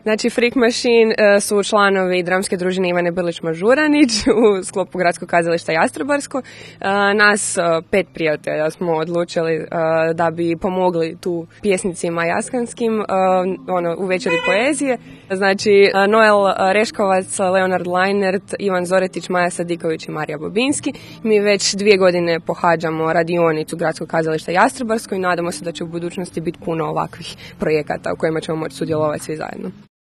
Znači, Freak Machine su članovi dramske družine Ivane Brlić-Mažuranić u sklopu Gradskog kazališta Jastrebarsko. Nas 5 prijatelja smo odlučili da bi pomogli tu pjesnicima jaskanskim u večeri poezije. Znači, Noel Reškovac, Leonard Leinert, Ivan Zoretić, Maja Sadiković i Marija Bobinski. Mi već 2 godine pohađamo radionicu Gradskog kazališta Jastrebarsko i nadamo se da će u budućnosti biti puno ovakvih projekata u kojima ćemo moći sudjelovati svi zajedno.